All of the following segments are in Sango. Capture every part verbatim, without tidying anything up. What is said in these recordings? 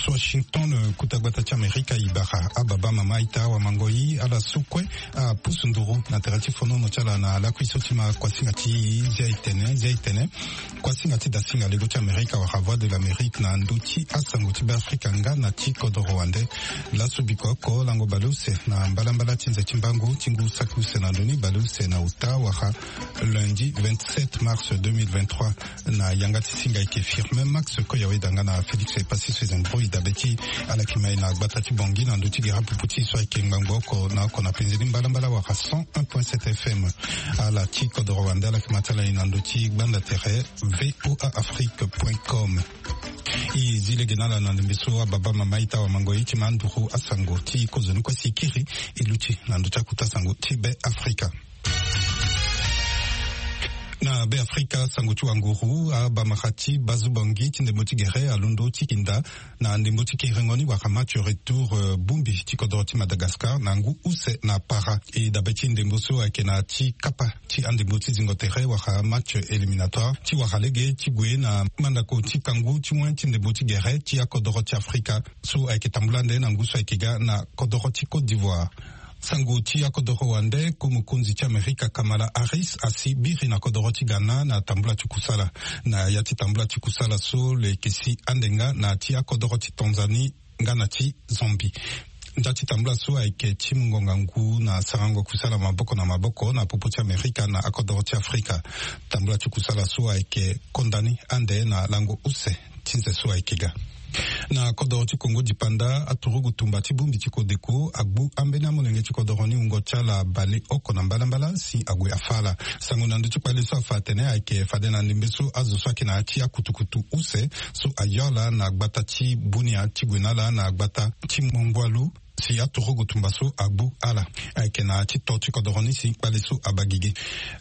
Washington, kuta gbata ti amerika e bara ababa mama ita wamangoi ala so kue apusu nduru na tere ti fonono ti ala na lakui so ti ma kuasinga ti zia etene zia etene. Kuasinga ti dasinga lego ti amerika wala voix de l'amérique na ndö ti asango ti beafrika nga na ti kodoro wande. Laso biko oko lango baleuse na mbalambala ti nze ti mbangu ti ngu saki use na ndoni baleuse na ota wala lundi vingt-sept mars deux mille vingt-trois. Na yanga ti singa eke firme max koyawe danga na félix epasi sezembro idabe ti ala yeke mai na gbata ti bongi na ndö ti gera pupu ti so ayeke ngbangbo oko na oko na penzeni mbalambala wala cent un point sept fm. Ala ti kodoro wande ala yeke ma ti ala ni na ndö ti gbanda tere voa afrique point com. E zi lege na ala na ndembe so ababa mama ita wamango ye ti ma nduru asango ti kozoni kue si e kiri e luti na ndö ti akuta sango ti be afrika. Na be afrika sango ti wanguru abamara ti bazu bongi ti ndembo ti gere alondo ti kinda na ndembo ti kerengo ni wala match retour bumbi ti kodoro ti madagascar na ngu use na para. E dabe ti ndembo so ayeke na ti kapa ti andembo ti zingo tere wala match éliminatoire ti wara lege ti gue na mandako ti kangu ti wen ti ndembo ti gere ti akodoro ti afrika so ayeke tambula nde na ngu so ayeke ga na kodoro ti côte d'ivoire. Sango ti akodoro wande ko mokonzi ti amerika kamala harris asi biri na kodoro ti ghana na tambula ti kusala. Na ya ti tambula ti kusala so lo yeke si ande nga na ti akodoro ti tanzanie nga na ti zambie. Nda ti tambula so ayeke ti mungo ngangu na sarango kusala maboko na maboko na popo ti amerika na akodoro ti afrika. Tambula ti kusala so ayeke kondani ande na lango use ti nze so ayeke ga. Na kodoro ti kongo dipanda aturugu tumba ti bongbi ti kodeko agbu ambeni amolenge ti kodoro ni wungo ti ala baleoko na mbalambala si ague afa ala. Sango na ndö ti kpale so afa atene ayeke fade na ndembe so azo so ayeke na ya ti akutukutu use so ayo ala na gbata ti bunia ti gue na ala na gbata ti mongwalu si aturugu tumba so agbu ala. Ayeke na ya ti to ti kodoro ni si kpale so abagege.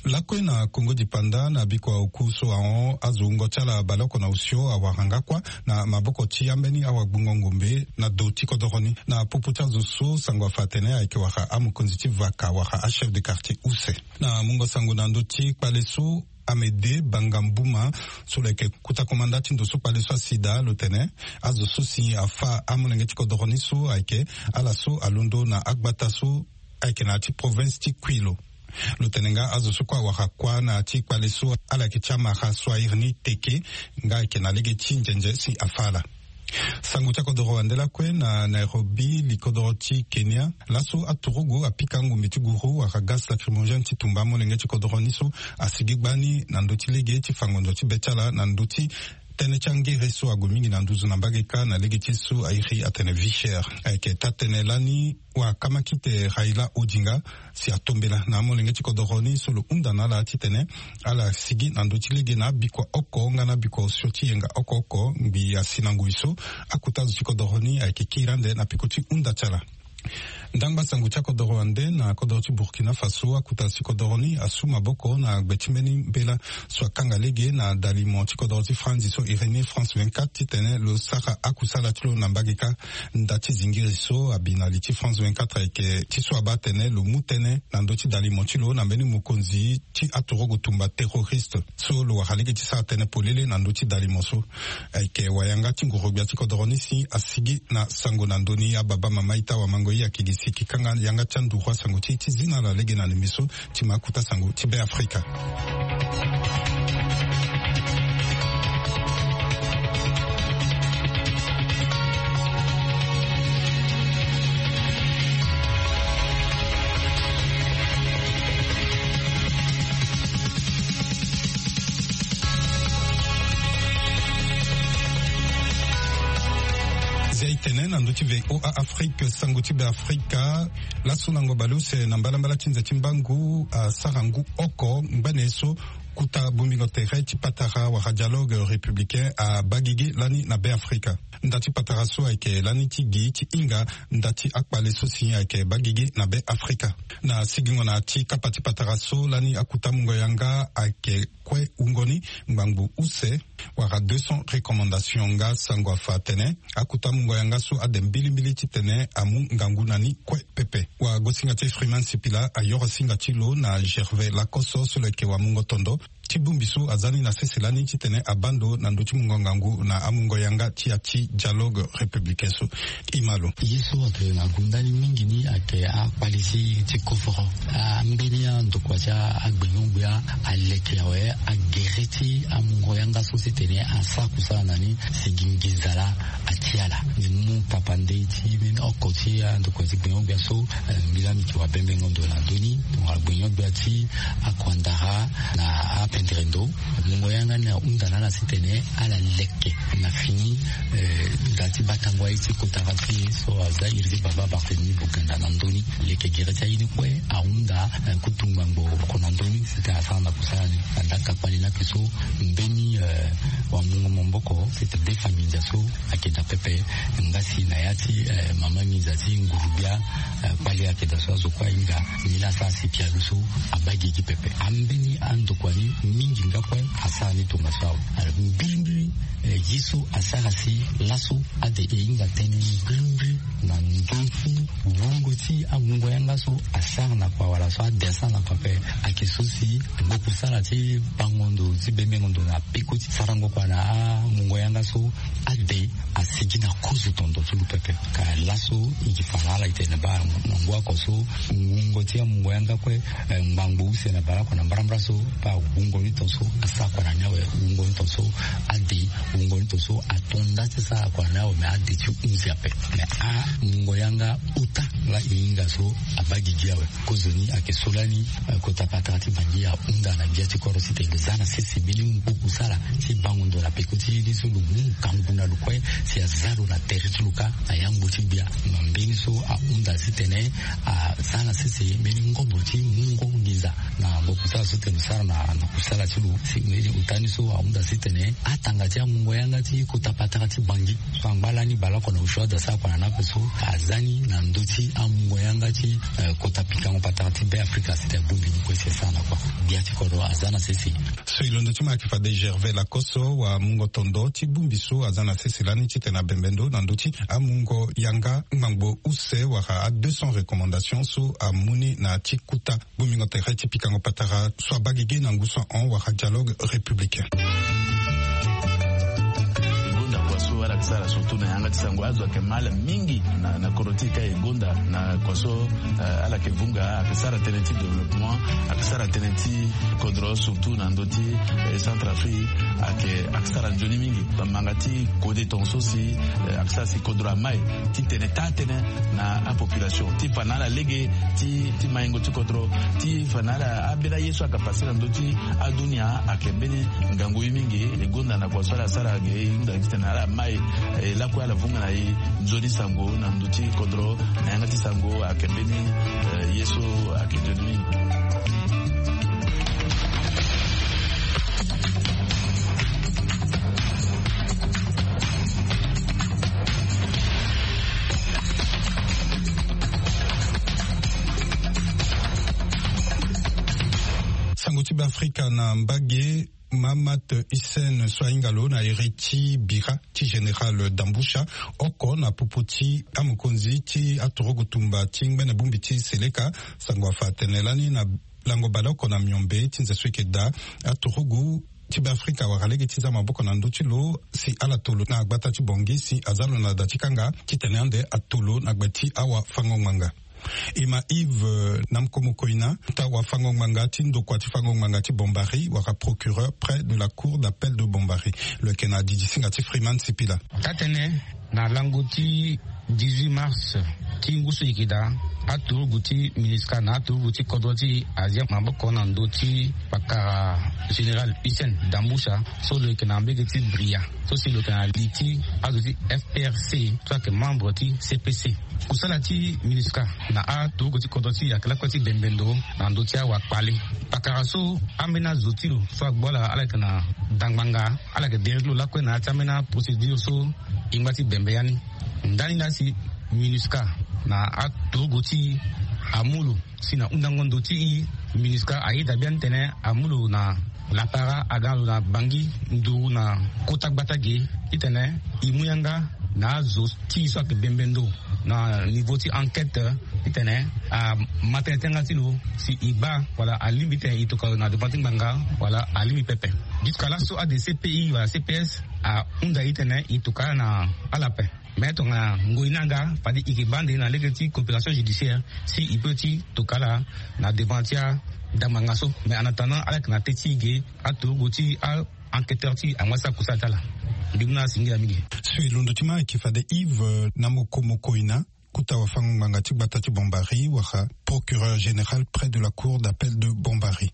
Lakue na kongo dipanda na biko oku so ahon azo wungo ti ala baleoko na osio awara nga kuâ na maboko ti ambeni awagbungo ngombe na do ti kodoro ni na popo ti azo so sango afa atene ayeke wara amokonzi ti vaka wara achef de quartier use. Na mungo sango na ndö ti kpale so amede banga mbuma so lo yeke kuta komanda ti ndo so kpale so asi daa lo tene azo so si afa amolenge ti kodoro ni so ayeke ala so alondo na agbata so ayeke na ya ti province ti kui lo. Lo tene nga azo so kue awara kuâ na ya ti kpale so ala yeke ti amara so airi ni teke nga ayeke na lege ti nzenze si afa ala. Sango ti akodoro wande lakue na nairobi likodoro ti kenya laso aturugu apika ngumbi ti guru wala gaz lacrymogène ti tumba amolenge ti kodoro ni so asigi gbani na ndö ti lege ti fango ndo ti be ti ala na ndö ti tënë ti angere so ague mingi na nduzu na mbage kâ na lege ti so airi atene vie chère. Ayeke taa-tënë lani wakamakite raila odinga si atombela na amolenge ti kodoro ni so lo hunda na ala titene ala sigi na ndö ti lege na abikua oko nga na abikua osio ti yenga oko oko ngbii asi na ngoi so akuta zo ti kodoro ni ayeke kiri ande na peko ti hunda ti ala. Ndangba sango ti akodoro wande na kodoro ti burkina faso akuta zo ti kodoro ni asu maboko na gbe ti mbeni mbela so akanga lege na dalimo ti kodoro ti franzi so irénie france vingt-quatre titene lo sara akusala ti lo na mbage kâ. Nda ti zingiri so abi na li ti france vingt-quatre ayeke ti so abaa atene lo mu tënë na ndö ti dalimo ti lo na mbeni mokonzi ti aturugu tumba terroriste so lo wara lege ti sara tënë polele na ndö ti dalimo so. Ayeke wayanga ti nguru-gbia ti kodoro ni si asigi na sango na ndö ni ababa mama ita wamango ye ayeke gi si e kanga yanga ti anduru asango ti e ti zi na ala lege na limi so ti ma akuta sango ti be afrika. Zia e tene na ndö ti voa afrique sango ti be afrika. Laso lango bale use na mbalambala ti nze ti mbangu asara ngu oko ngbene so kuta bongbingo tere ti patara wala dialogue républicain abagigi lani na be afrika. Nda ti patara so ayeke lani ti gi ti hinga nda ti akpale so si ayeke bagigi na be afrika. Na sigingo na ti kapa ti patara so lani akuta mungo yanga ayeke kue wungo ni ngbangbo use wala deux cents recommandation nga sango afa atene akuta mungo yanga so ade mbilimbili titene amu ngangu na ni kue pepe. Wagosinga ti freeman sipila ayoro singa ti lo na gervais lacoso so lo yeke wamungo tondo. ti bongbi so aza ni na sese lani titene abaa ndo na ndö ti mungo ngangu na amungo yanga ti ya ti dialogue républicain so. Imalo ye so ayeke na gunda ni mingi ni ayeke akpali ti ti koforo. Ambeni andokua ti agbengbe-gbia aleke awe agere ti amungo yanga so titene asara kusala na ni si gi nginza laa. Ati ala ni mu papa ndei ti mbeni oko ti andokua ti gbengbe-gbia so. Mbi laa mbi yeke wabembengo ndo na ndö ni tongana gbengbe-gbia ti akuandara na apendere ndo. Mungo yanga ni ahunda na ala titene ala leke na fini nda ti batango aye ti kota ka ti e so aza iri ti baba Barthélemy Boganda na ndö ni. Leke gere ti aye ni kue ahunda kutu ngbangbo oko na ndö ni sitene asara na kusala ni. Na ndaka kpali ni ake so mbeni wamungo maboko sitene defa nginza so ayeke daa pepe. Nga si na ya ti mama nginza ti nguru-gbia kpali ayeke daa so azo kue ahinga ni laa asara si pialo so abaa gigi pepe. Ambeni andokua ni mingi nga kue asara ni tongaso awe. Mbirimbiri ye so asara si laso ade e hinga tënë mbirimbiri na ndö ti wungo ti amungo yanga so asara na kua wala so ade asara na kua ape. Ayeke so si ngu kusala ti bango ndo ti bembengo ndo na peko ti sarango kua na amungo yanga so ade asigi na kozo tondo ti lo pepe. Ka laso e yeke fa na ala e tene baa na ngu oko so wungo ti amungo yanga kue ngbangbo use na baleoko na mbarambara so baa wungo ni ton so asara kua na ni awe. Wungo ni ton so ade wungo ni ton so ato nda ti sara kua na ni awe me ade ti hunzi ape. Me amungo yanga ota laa e hinga so abaa gigi awe. Kozoni ayeke so lani kota patara ti Bangui ahunda na gbia ti kodro titene lo za na sese mbeni ngu kusala ti bango ndo na peko ti ye ni so lo mu ngangu na lo kue si aza lo na tere ti lo kâ na yangbo ti gbia. Na mbeni so ahunda titene aza na sese mbeni ngombo ti mungo nginza na ngu kusala so tene lo sara na kusala ti lo. Si mbeni ota ni so ahunda titene atanga ti amungo yanga ti kota patara ti Bangui so angba lani baleoko na osio ade asara kua na ni ape so aza ni na ndö ti amungo yanga ti kota pikango patara ti Be Afrika sitene abongbi ni kue si asara na kua. Gbia ti kodro aza na sese. So e londo ti mo ayeke fade Gervais Lacoste wamungo tondo ti bongbi so aza na sese lani titene abembe ndo na ndö ti amungo yanga ngbangbo use wala a deux cents recommandations so amu ni na ya ti kota bongbingo tere ti pikango patara so abaa gigi na ngu so ahon wala dialogue républicain. E gonda kua so ala yeke sara surtout na yanga ti sango azo ayeke ma ala mingi na kodro ti e ka e gonda na kua so ala yeke vunga ayeke sara tënë ti développement ayeke sara tënë ti kodro surtout na ndö ti Centrafrique ayeke ayeke sara nzoni mingi. Manga ti kode tongaso si ayeke sara si kodro amai ti tene taa tënë na apopulation ti fa na ala lege ti maingo ti kodro ti fa na ala ambeni aye so ayeke pase na ndö ti adunia ayeke mbeni ngangu ye mingi. E gonda na kua so ala sara ge e hunda titene ala mai e lakue ala vunga na e nzoni sango na ndö ti kodro na yanga ti sango ayeke mbeni ye so ayeke nzoni mingi. Sango ti Beafrika na mbage. Mahamat Hussein so ahinga lo na iri ti bira ti général Damboucha oko na popo ti amokonzi ti aturugu tumba ti ngbene bongbi ti Seleka. Sango afa atene lani na lango baleoko na miombe ti nze so eke daa aturugu ti Beafrika awara lege ti za maboko na ndö ti lo si ala tolo na gbata ti Bangui si aza lo na da ti kanga titene ande atolo na gbe ti awafango-ngbanga. E ma Yves Namkomokoina ota wafango-ngbanga ti ndokua ti fango-ngbanga ti Bombari wala procureur près de la cour d'appel de Bombari. Lo yeke na didi singa ti Freeman Sipila. Taa-tënë na lango ti dix-huit mars ti ngu so e yeke daa aturugu ti MINUSCA na aturugu ti kodro ti e azia maboko na ndö ti pakara général Hussein Damboucha so lo yeke na mbege ti Bria so si lo yeke na li ti azo ti F P R C so ayeke membre ti C P C. Kusala ti MINUSCA na aturugu ti kodro ti e ayeke lakue ti bembe ndo na ndö ti awakpale. Pakara so ambeni azo ti lo so agbu ala ala yeke na dangbanga ala yeke dere ti lo lakue na ya ti ambeni aprocédure so e ngba ti bembe ya ni. Ndani laa si MINUSCA na aturugu ti e amu lo si na hundango ndo ti e MINUSCA ayeda biani titene amu lo na lapara aga na lo na Bangui nduru na kota gbata ge titene e mu yanga na azo ti e so ayeke bembe ndo na niveau ti enquête Titene ama tënë ti lo si e baa wala alingbi titene e tokua lo na devant ti ngbanga, wala alingbi pepe. Jusqu'à laso ade cpi wala cps ahunda e titene e tokua ala na ala ape. Mais tongana ngoi ni aga fade e yeke baa nde na lege ti coopération judiciaire si e peut ti tokua ala na devant ti adamanga so. Mais en attendant ala yeke na teti ge aturugu ti a enquêteur ti angba ti akusala ti ala. Mbi mu na singila mingi. So e londo ti ma ayeke fade Yves na moko moko ina kota wafango ngbanga ti gbata ti Bombari wala procureur général près de la cour d'appel de Bombari.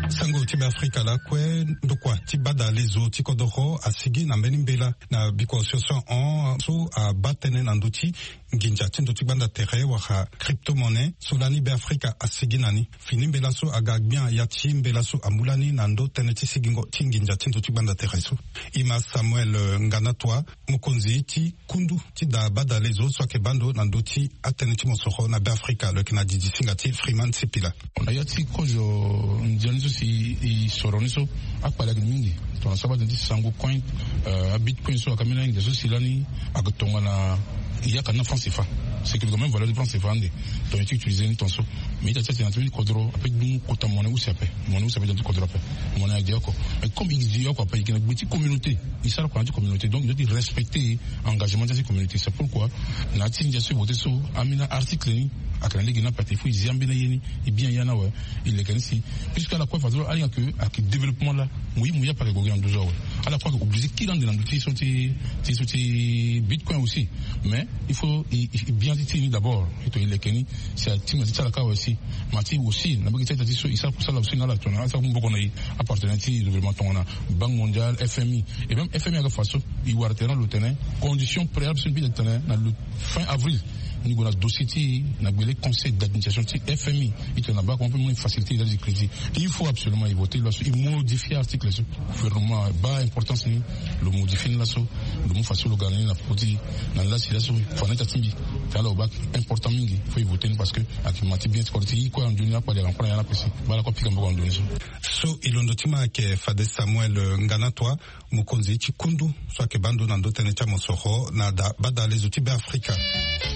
Sango ti Beafrika lakue, ndokua ti badalezo ti kodoro asigi na mbeni mbela na biko association hon so abaa tënë na ndö ti nginza ti ndö ti gbanda tere wala crypto-monnaie so lani Beafrika asigi na ni. Fini mbela so aga gbia ya ti mbela so amu lani na ndö tënë ti sigingo ti nginza ti ndö ti gbanda tere so. E ma Samuel Nganatua, mokonzi ti kundu ti da badalezo so ayeke baa ndo na ndö ti atënë ti mosoro na Beafrika, lo yeke na didisinga ti Freeman Sipila. Na ya ti kozo ndia ni so si e soro ni so, akpale ayeke mingi. Tongana so abaa tënë ti sango coin, euh, abitcoin so ayeke ambeni anginza so si lani ayeke tongana e yaka ni na franc cfa. C'est que quand même valeur ti franc cfa ande. Donc e ti utiliser ni tongaso. Mais ita ti atene na ti mbeni kodro ape ti mu kota monnaie use ape. Monnaie use ape ti na ti kodro ape. Monnaie ade oko. Mais comme e zi oko ape e yeke na gbe ti communauté. E sara kua na ya ti communauté, donc e doit ti respecter engagement ti ya ti communauté. C'est pourquoi na ya ti ndia so e voté so, ambeni article ni ayeke na lege ni ape, il faut e zi ambeni aye ni, e bien ya ni awe. E leke ni si, puisque ala kue fade so ala hinga ke ayeke développement laa, mo ye mo ye ape ayeke gue gi na ndö so awe. Ala kue ayeke obligé kiri ande na ndö ti so ti, ti so ti bitcoin aussi. Mais il faut e, e, e bien ti ti ni d'abord. E to e leke ni si atinga ti ti ala kâ awe si. Ma ti aussi na mbage ti aita ti so e sara kusala aussi na ala tongana asara maboko na e, apartenaire ti gouvernement tongana Banque mondiale, F M I. Et même F M I aga faso, e wara tene na lo tene condition préalable so mbi tene na lo fin avril, ni gue na dossier ti e na gbele conseil d'administration ti F M I. E tene na baa comment mpe mo ni faciliter e za ti crédit. Il faut absolument e voter loi so, e modifier article so. Gouvernement abaa importance ni, lo modifier ni laso. Lo mu faso lo ga na ni na peko ti na lasi laso. Fa na ita ti mbi tene ala lo baa important mingi, faut e voter ni parce que ayeke ma ti bien ti kodro ti e kue na ndoni, akpale ayeke na kue na ya ni ape si. Baa lakue apika maboko na ndoni so. So e londo ti ma ayeke fade Samuel, euh, Nganatua, mokonzi ti kundu so ayeke baa ndo na ndö tënë ti amosoro na da badalezo ti Beafrika.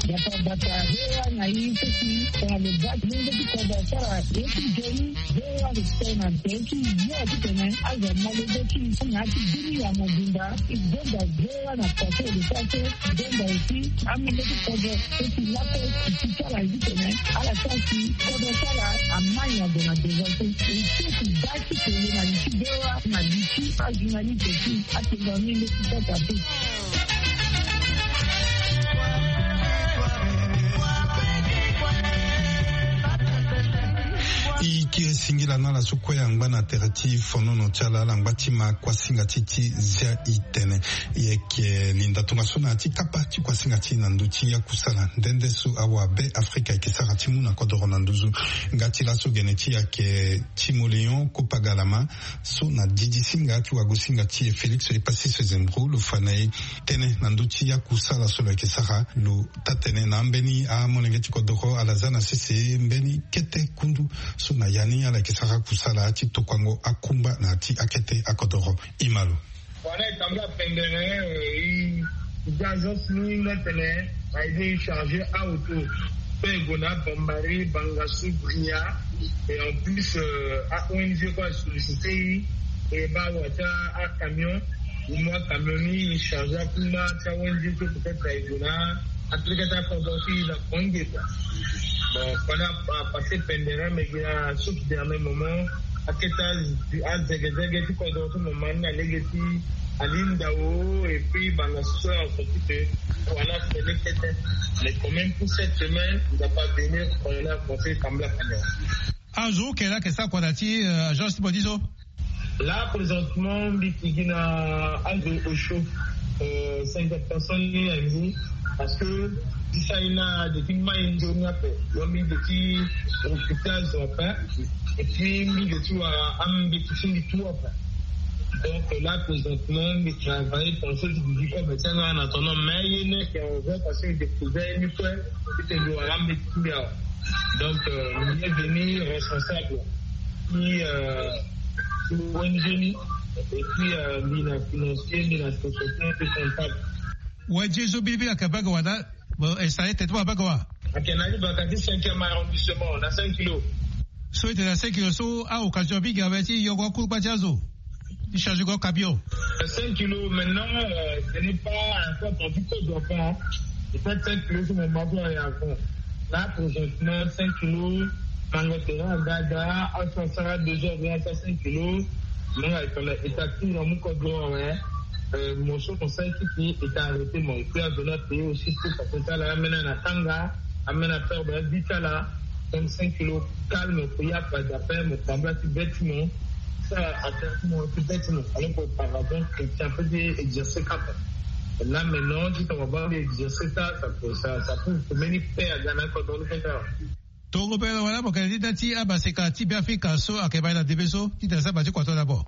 Bata bata, V O A na i seki tongana lo baa ti ndö ti kodro asara ye ti nzoni. V O A respect na nzoni ti yo titene azo amolenge ti na ya ti bini ya mobimba. E gonda V O A na kua so e lo sara so. E gonda aussi amolenge ti kodro so ti lakue ti ti sara titene ala sara si kodro ti ala amai na gue na devant so. E seki baa ti kele na li ti V O A na li ti ajournaliste ti atongana ni leti kota te. E kiri singila na ala so kue angba na tere ti fonono ti ala, ala ngba ti ma kuasinga ti ti zia e tene. E yeke linda tongaso na ya ti kapa ti kuasinga ti e na ndö ti ya kusala nde nde so awa Be Afrika ayeke sara ti mu na kodoro na nduzu. Nga ti laso gene ti e ayeke Timoléon Kopagalama, so na didisinga ti wagosinga ti e Félix Epassis Zembrou, lo fa na e tënë na ndö ti ya kusala so lo yeke sara. Lo taa-tënë na ambeni amolenge ti kodoro ala za na sese mbeni kete kundu so na ya ni ala yeke sara kusala ti tokuango akungba na ya ti akete akodoro. E ma lo. Wala e tambula pendere, eh, e, e gi agence ni nga tene a aidé e charger aauto. Pe e gue na Bambari, Bangassou, Bria. Et en plus, euh, a O N G kue a sollicité e, e baa wata acamion. E mu acamion ni e charger akungba ti a O N G so peut-être e gue na Afrika ti akodro ti e na Konge kua. Bon, pendant a passé pendere, mais gi na so ti dernier moment akete azegezege ti kodro so mo ma ni na lege ti ali ndao, et puis Bangassou so en sorti que wala fele kete. Mais quand même pour cette semaine, nous a pas venu, on a conseillé Kambla Kambla. Azo kela ke sa kua na ti, euh, agence ti bodizo. Là, présentement, mbi ti gi na azo osio, euh, cinquante personnes ni na mbi, parce que ti sa ni na de ti mai nzoni ape. Donc mbi de ti occupé azo ape. Et puis mbi de ti wara ambeti ti mbi tout ape. Donc là présentement mi travaille pour ce qui dit comme tianga en attendant mais ye ne ke on voit parce que découvert une fois. C'était le haram de Kumbia. Donc euh, il est venu responsable qui euh, qui Wangeni et puis euh, mina financier mina société et comptable. Wa jesu bilibili aka baga wala. Bon, e sa ete ti mo abaga wa. Ake na ni baka ti cinquième arrondissement na cinq kilos. So ete na cinq kilos so a occasion abi ga be ti yoko akuru kpa ti azo. Ti change go camion. Cinq kilos maintenant euh, ce n'est pas un peu du code d'enfant. Et ça cinq kilos c'est mon mari à fond. Là présentement cinq kilos. Mango terrain gaga à soixante deux heures bien ça cinq kilos. Moi il fallait établir dans mon code d'enfant. Mo so conseil ti ti est arrêté mo et puis avena payer aussi pour ça comme ça là amena na tanga amena faire ben vite là. Comme cinq kilos calme pour y a pas d'appel mo tambula ti bête mo. Ça attend mo ti bête mo alors que par rapport chrétien peut dire exercer cap. Là maintenant si on va exercer ça ça peut ça ça peut mener paix à gana quand on fait ça. Tongo pe wala mo kele ti da ti amaseka ti be afrika so ayeke baa na debe so ti tene saba ti kuato na bo.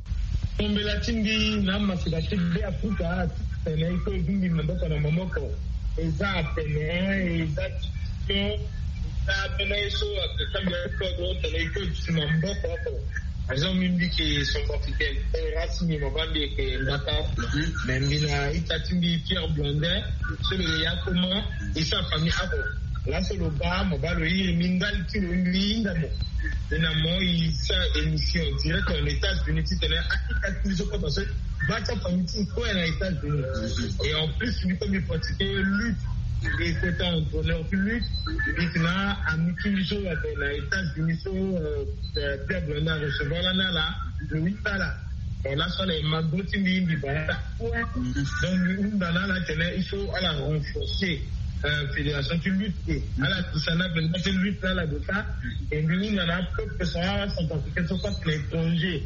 Tombela ti mbi na amaseka ti be afrika ti tene iko e bingbi maboko na maboko. Eza atene eza ti eza mbeni ye so ayeke sambela ti kodro tene iko e duti maboko oko. Par exemple mbi mbi yeke centrafricaine race mbi mabaa mbi yeke mbata. Mais mbi na ita ti mbi pierre blondin. So lo yeke ya comment e so afamille oko. Laso lo baa mo baa lo iri mbi ndali ti lo mbi hinga mo. E na mo e sara émission direct en états-unis titene akita ti mbi so kue parce que baa ti afamille ti mbi kue na états-unis. Et en plus mbi kue mbi pratiquer lutte. E kota entraîneur ti lutte. Mbi ti na ami ti mbi so ayeke na états-unis so peuple na recevoir lani ala. Lo hinga ala. Bon laso ala e ma go ti mbi mbi baa ala. Donc mbi hunda na ala tene il faut ala renforcer fédération ti lutte. Ala dusa na benda ti lutte na ala dusa. E mbi hunda na apeuple so ala centrafricain so kue na étranger.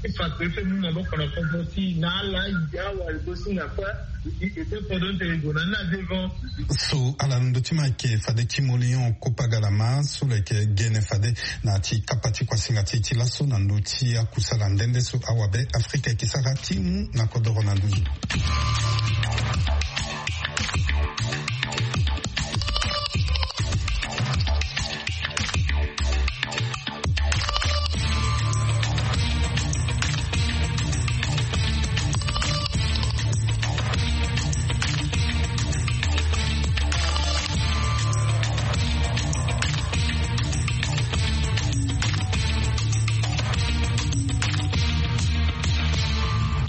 Ti fa kue ti mu maboko na kodro ti na ala. Awa e go singa kue. E te kodro ti tene e gue na ni na devant. So ala na ndö ti ma ayeke fade ti molion kopagalama so lo yeke gene fade na ti kapa ti kuasinga ti e ti laso na ndö ti akusala nde nde so awabe afrika eke sara ti mu na kodoro na ndö ni.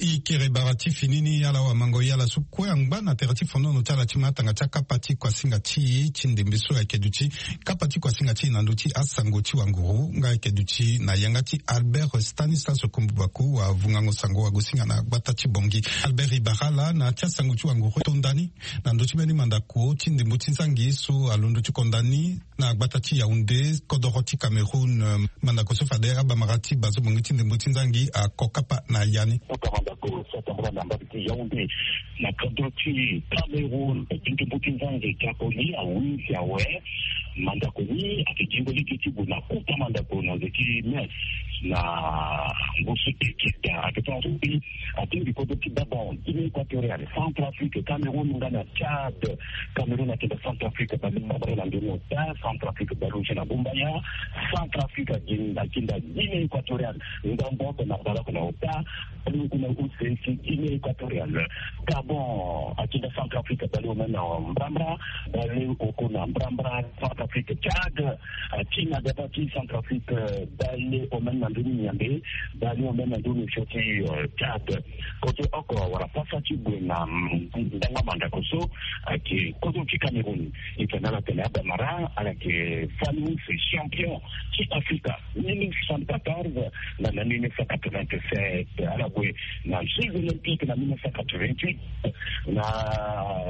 E kere bara ti fini ni ala wamango ye ala so kue angba na tere ti fonono ti ala ti matanga ti akapa ti kuasinga ti e ti ndembe so ayeke duti kapa ti kuasinga ti e na ndö ti asango ti wanguru nga ayeke duti na yanga ti albert stanislas kombubaku wavungango sango wagosinga na gbata ti bongi. Albert e bara ala na ya ti asango ti wanguru e tonda ni na ndö ti mbeni mandako ti ndembo ti nzangi so alondo ti konda ni na gbata ti yaounde kodoro ti cameroun. Mandako so fade abamara ti bazo bongi ti ndembo ti nzangi ako kapa na ya ni. Kota mandako so atambula na mbage ti yaounde na kodoro ti cameroun. Ndembo ti nzangi ti ako ye awinzi awe. Mandako ni ayeke jingo lege ti gue na kota mandako na nze ti mes na ngu so ekita ayeke ti atingbi kodro ti dabon guinée équatoriale, centrafrique, cameroun nga na tchad. Cameroun atinda centrafrique baleoko na ndoni ota, centrafrique baleoko na gumbaya. Centrafrique atinda guinée équatoriale ndambo oko na baleoko na ota. Baleoko na use ti guinée équatoriale. Gabon atinda centrafrique baleoko na mbrambra. Baleoko na mbrambra. Centrafrique, tchad atinda gaba ti centrafrique. Baleoko na ndoni nyambe. Baleoko na ndoni fio ti tchad. Kote oko wala pasa ti gue na ndanga mandako so ayeke kozo ti cameroun. E tene ala tene abamara ala yeke famille champion ti afrika. Mille neuf cent quatorze na na mille neuf cent quatre-vingt-sept ala gue na jeux olympique na mille neuf cent quatre-vingt-huit. Na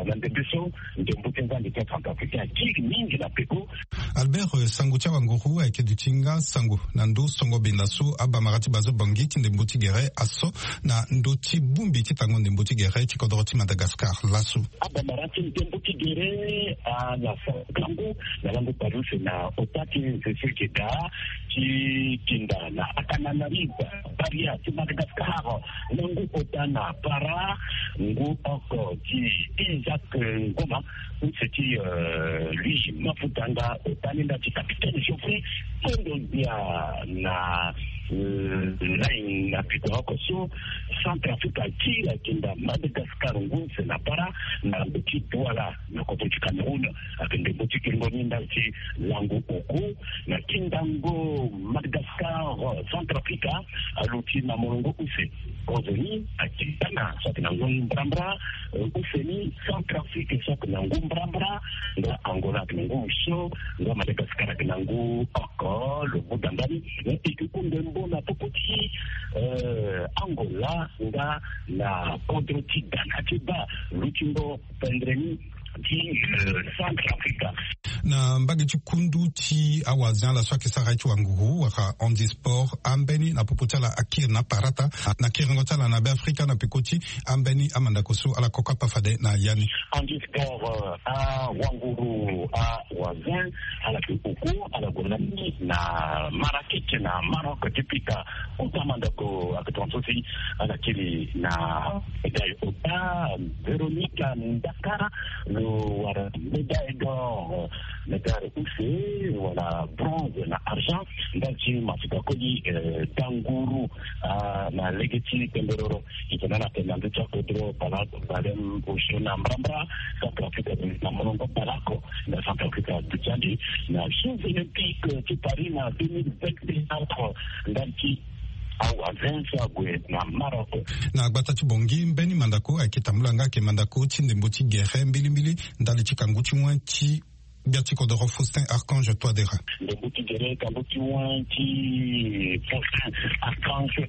na ndembe so ndembo ti nzangi ti acentrafricain akiri mingi na peko. Albert, sango ti awanguru ayeke duti nga sango na ndo songo benda. So abamara ti bazo bangi ti ndembo ti gere aso na ndö ti bongbi ti tango ndembo ti gere ti kodoro ti Madagascar laso. Abamara ti ndembo ti gere ala sa tango na lango pariuse na ota ti nzese geda ti kinda na Antananarivo, Paria ti Madagascar, lango ota na para ngu oko ti Isaac Ngoma, use ti, euh, lui Mafutanga, ota ni nda ti capitaine Geoffrey Kondo Dia na, euh, line na piko oko so Centrafrique akiri akinda Madagascar ngu use na para na ndö ti Douala na kodro ti Cameroun. Ayeke ndembo ti kiringo ni ndali ti lango oku na kindango Madagascar, Centrafrique aluti na molongo use. Kozo ni akiri tana so ayeke na ngu mbrambra, eh, use ni Centrafrique so ayeke na ngu mbrambra, nga Angola ayeke na ngu use, nga Madagascar ayeke na ngu oko, lo buda ndani. Eh, e yeke ku ndembo na popo ti, eh, Angola nga na kodro ti Ghana ti baa lutingo pendere ni ti, eh, Centrafrique. Na mbage ti kundu ti awazen ala so ayeke sara ye ti wanguru wala handisport, ambeni na popo ti ala akiri na parata na kiringo ti ala na Beafrika na peko ti ambeni amandako so ala koko apa fade na ya ni. Handisport, eh, awanguru awazen ala yeke oku, ala gue lani na Marrakech na Maroc ti pika kota mandako. Ayeke tongaso si ala kiri na médaille ota, Veronica Ndakara lo wara médaille d'or, médaille use wala bronze na argent ndali ti masika koli, eh, danguru, ah, na lege ti pemberoro. Itene ala tene na ndö ti akodro bale, bale osio na mbrambra. Centrafrique na molongo bale oko na Centrafrique aduti ande na Jeux Olympiques ti Paris na deux mille vingt-quatre ndali ti awazen so ague na Maroc. Na gbata ti Bangui, mbeni mandako ayeke tambula nga ayeke mandako ti ndembo ti gere mbilimbili ndali ti kangu ti wen ti gbia ti kodoro Faustin Archange Touadéra. Ndembo ti gere kangu ti wen ti Faustin Archange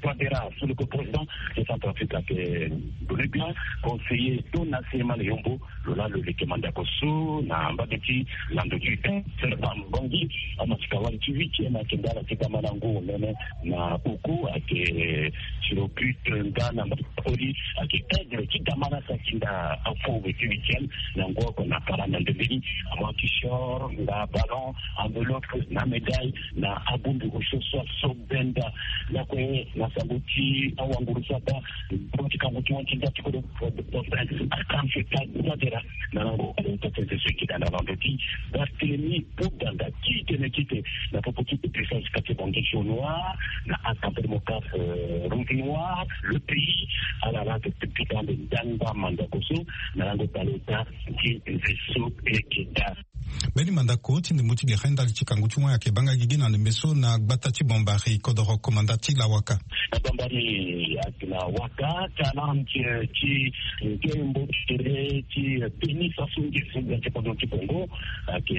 Touadéra, sous le président de Centrafrique ayeke Bolivien, conseiller Dona Sema Leyombo, lo laa lo leke mandako so na mbage ti lando ti huitième. Serban Bangui, amasika wali ti huitième ayeke ndala ti gama na ngu nene na oku ayeke tiro but nga na mbage ti koli ayeke aigle ti gama na sakinda afo weti huitième na ngu oko na para na ndembe ni. Amu akisior nga ballon, enveloppe na médaille na abongbi osio so aso benda. Lakue na sango ti awanguru so aba ndembo ti kangu ti wen ti nda ti kodro Faustin Archange Touadéra na lango ota ti nze so e keda na lando ti Barthélemy Boganda ti tene kete na popo ti puissance kati Bangui Jaune Noir na Assemblée Démocrate, euh, Rouge Noir, le pays ala laa ayeke pika ande ndangba mandako so na lango baleota ti nze so e keda. Mbeni mandako ti ndembo ti gere ndali ti kangu ti wen ayeke banga gigi na ndembe so na gbata ti Bambari kodoro komanda ti Lawaka. Na Bambari ayeke na waka ti alarme ti, ti ndembo ti gere ti tennis aso ngeso gbia ti kodro ti Congo. Ayeke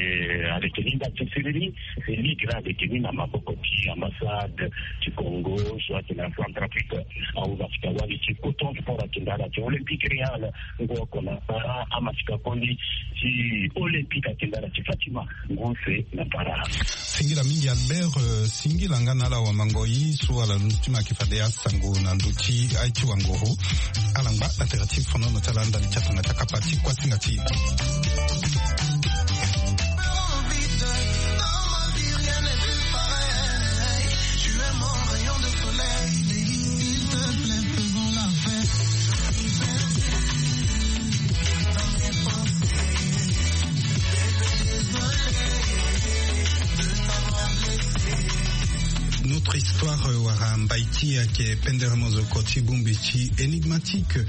aleke ni ndali ti siriri. Félix laa aleke ni na maboko ti ambassade ti Congo so ayeke na Centrafrique. Awu na sika wali ti Coton Sport ayeke ndala ti Olympique Real. Ngu oko na para amasika koli ti Olympique ayeke ndala ti Fatima ngu use na para. Singila mingi Albert, euh, singila nga na ala wamangoi so ala luti ma yeke fade asango na ndö ti aye ti wanguru. Ala ngba na tere ti fonono ti ala ndali ti atanga ti akapa ti kuasinga ti e. Notre histoire, euh, wala mbai ti e ayeke pendere mozoko ti bongbi ti Enigmatique.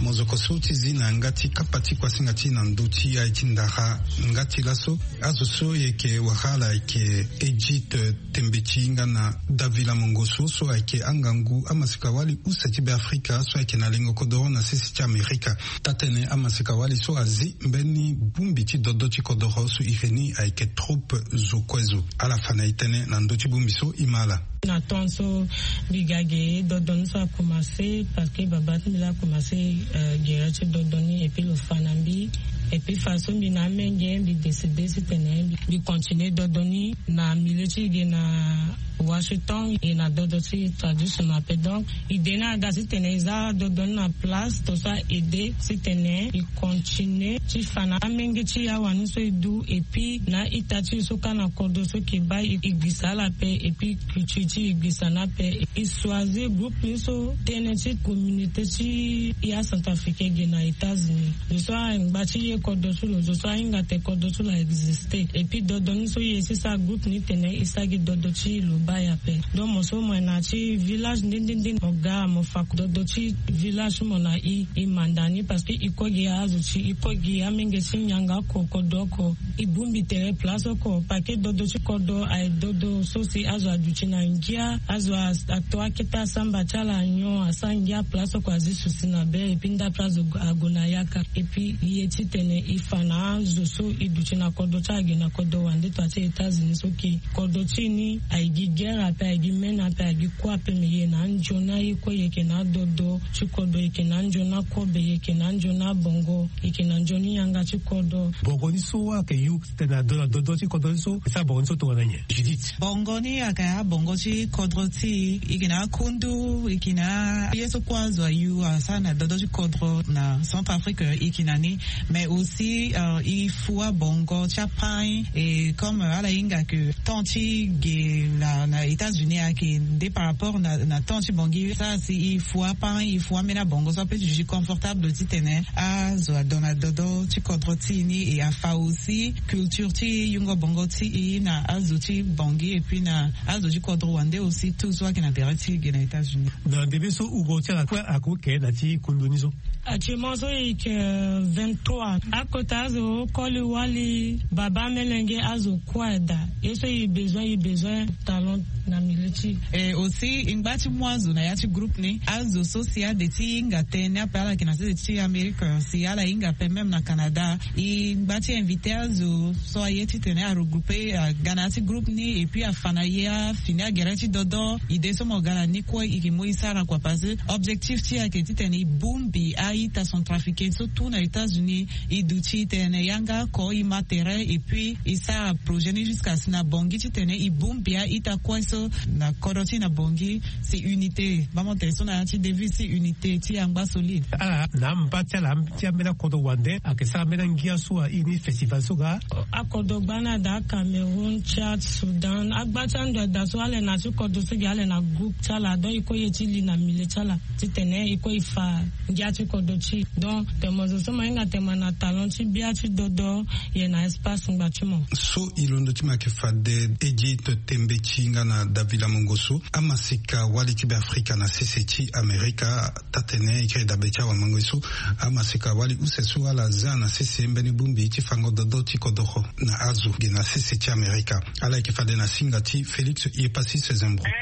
Mozoko so ti zi na yanga ti kapa ti kuasinga ti e na ndö ti aye ti ndara. Nga ti laso azo so e yeke wara ala ayeke Edith, euh, Tembeti nga na Davila Mongoso so ayeke angangu amasika wali use ti Beafrika so ayeke na lengo kodoro na sese ti Amerika. Taa-tënë amasika wali so azi mbeni bongbi ti dodo ti kodoro so iri ni ayeke troupe Zo Kue Zo. Ala fa na e tënë na ndö ti bongbi so e ma ala. Na temps so mbi ga ge dodo ni so akomanse parce que baba ti mbi laa akomanse, euh, gere ti dodo ni et puis lo fa na mbi. Et puis façon mbi na amenge mbi décide titene mbi, mbi continue dodo ni na milieu ti e ge na Washington, e na dodo ti tradition ape. Donc idée ni aga titene e za dodo ni na place to so a aide titene e continue ti fa na amenge ti awani so e du, et puis na ita ti e so ka na kodro so ke baa e gbisa ala ape, et puis culture ti e gbisa ni ape. E choisir groupe ni so tënë ti communauté ti e acentrafricain ge na États-Unis. Zo so angba ti e kodro ti lo, zo so ahinga te kodro ti lo a existe. Et puis dodo ni so e ye ti sara groupe ni tene e sara gi dodo ti lo baa e ape. Donc mo so mo yeke na ya ti village nde nde nde, mo ga mo fa dodo ti village ti mo na e, e manda ni, parce que e kue gi azo ti e, e kue gi amenge ti nyango oko, kodro oko. E bongbi tere place oko, parce que dodo ti kodro aye dodo so si azo aduti na ngia, azo a, ato akete asamba ti ala nyon, asara ngia, place oko azi susi na be, et puis ndapre azo ague na yaka. Et puis e ye titene e fa na azo so e duti na kodro ti ala ge na kodro wande to ya ti États-Unis so ke kodro ti e ni aye gi guerre ape, aye gi mene ape, aye gi kue ape, me e ye na anzoni aye kue, e yeke na adodo ti kodro, e yeke na anzoni akobe, e yeke na anzoni abongo, e yeke na nzoni yanga ti kodro. Bongo ni so ayeke yu titene ado na dodo ti kodro ni so, e sara bongo ni so tongana nyen, Judith? Bongo ni ayeke abongo ti kodro ti e, e yeke na akundu, e yeke na ye so kue azo ayu asara na dodo ti kodro na Centrafrique, e yeke na ni. Mais aussi, euh, e fua bongo ti apagn, et comme ala hinga ke temps ti ge na, na États-Unis ayeke nde par rapport na, na temps ti bongi. Sara si e fua apagn, e fua ambeni abongo so ape ti duti confortable titene azo ado na dodo ti kodro ti e ni, e afa aussi culture ti yungo bongo ti e na azo ti bongi, et puis na azo ti kodro wande aussi, tout so ayeke na tere ti e ge na États-Unis. Na ndembe so wungo ti ala kue akoke na ti kundu ni so. Actuellement so e yeke, euh, vingt-trois. Akota azo koli wali, baba, melenge, azo kue ada. Ye so e besoin, e besoin talent na milieu ti e. Et aussi e ngba ti mu azo na ya ti groupe ni. Azo so si ade ti hinga tënë ape, ala yeke na sese ti Amérique, si ala hinga ape même na Canada, e ngba ti invité azo so aye titene a regrouper, aga na ya ti groupe ni, et puis afa na e afini agere ti dodo. Idée so mo ga na ni kue e yeke mu e sara kua, parce que objectif ti e ayeke titene e bongbi a-ita centrafricain so tout na États-Unis. E duti tene yanga oko, e ma tere, et puis e sara projet ni jusqu'à si na bongi titene e bongbi a-ita kue so na kodro ti e na bongi. Si unité, bamo tene so na ya ti devise, si unité ti e angba solide. Ala na amba ti ala ti ambeni akodro wande ayeke sara ambeni angia so a ini festival so ga. Akodro gba ni ada, Cameroun, Tchad, Soudan, agba ti ando ada so ala yeke na ya ti kodro so ge, ala yeke na groupe ti ala, donc e kue e ye ti li na milieu ti ala titene e kue e fa ngia ti kodro ti e. Donc tene mo zo so mo hinga tene mo na talent ti bia ti dodo, e yeke na espace ngba ti mo. So e londo ti mo ayeke fade Edith Tembe ti hinga na Davila Mongo so, amasika wali ti Beafrika na sese ti Amerika. Taa-tene e kiri dabe ti awamango ye so, amasika wali use so ala za na sese mbeni bongbi ti fango dodo ti kodoro na azo ge na sese ti Amerika. Ala yeke fade na singa ti Félix Yepasis Zembro. Eh,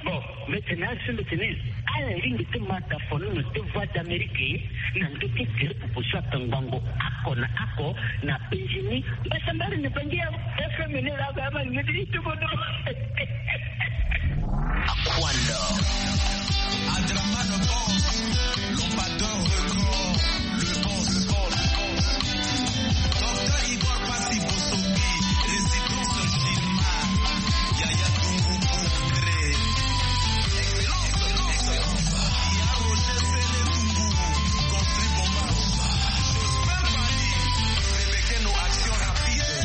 bon, mbi tene asi mbi tene ala lingbi ti ma tafono na ti Voix d'Amérique na ndö ti gere pupu so atongbango oko na oko na penzi ni. Mbasambari na bangi ya F M ni laa, ba ma ngedi ti bodo. Aquanda. Adramano Boss, Lombador Record, le boss, le boss, le boss. Docteur Igor Passy Bossobi, résidence Gilmar, Yaya Dungu Bourgré. Excellence, excellence. Yaya Roger Sele Dungu, construit Bomba. Jospin Paris, Rebecca, nos actions rapides.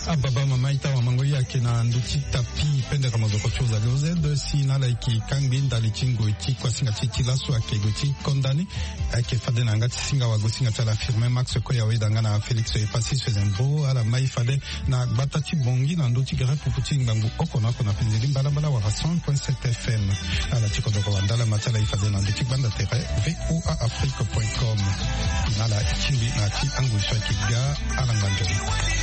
Ababa mama ita wa mango ye ayeke na ndö ti tapi pendere mozoko ti ozali oze de si na ala yeke kangbi ndali ti ngoi ti kuasinga ti ti laso ayeke gue ti konda ni. Ayeke fade na yanga ti singa wagosinga ti ala firme max koya weda nga na félix epassis fezembo ala mai fade na gbata ti bongi na ndö ti gere pupu ti ngangu oko na oko na penze ti mbalambala wala cent point sept fm. Ala ti kodoro wandala ma ti ala e fade na ndö ti gbanda tere. Voa afrique point com. Na ala ti tingbi na ti angoi so ayeke ga. Ala ngba nzoni.